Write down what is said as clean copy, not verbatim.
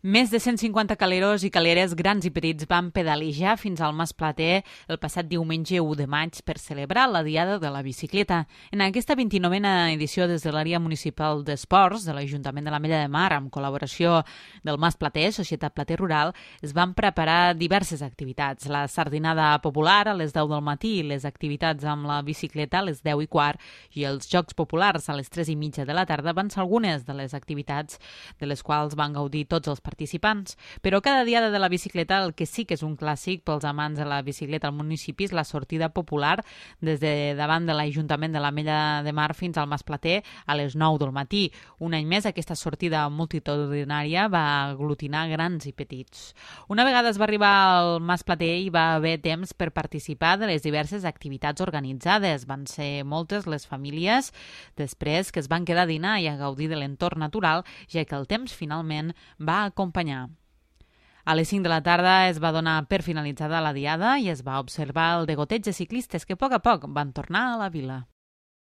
Més de 150 caleros i caleres grans i petits van pedalejar fins al Mas Plater el passat diumenge 1 de maig per celebrar la Diada de la Bicicleta. En aquesta 29a edició des de l'àrea municipal d'Esports de l'Ajuntament de l'Ametlla de Mar, amb col·laboració del Mas Plater, Societat Plater Rural, es van preparar diverses activitats. La sardinada popular a les 10 del matí, les activitats amb la bicicleta a les 10:15 i els Jocs Populars a les 3:30 de la tarda van ser algunes de les activitats de les quals van gaudir tots els participants. Però cada Diada de la Bicicleta el que sí que és un clàssic pels amants de la bicicleta al municipi és la sortida popular des de davant de l'Ajuntament de l'Ametlla de Mar fins al Mas Plater a les 9 del matí. Un any més aquesta sortida multitudinària va aglutinar grans i petits. Una vegada es va arribar al Mas Plater hi va haver temps per participar de les diverses activitats organitzades. Van ser moltes les famílies després que es van quedar a dinar i a gaudir de l'entorn natural, ja que el temps finalment va acompanyar. A les 5 de la tarda es va donar per finalitzada la diada i es va observar el degoteig de ciclistes que a poc van tornar a la vila.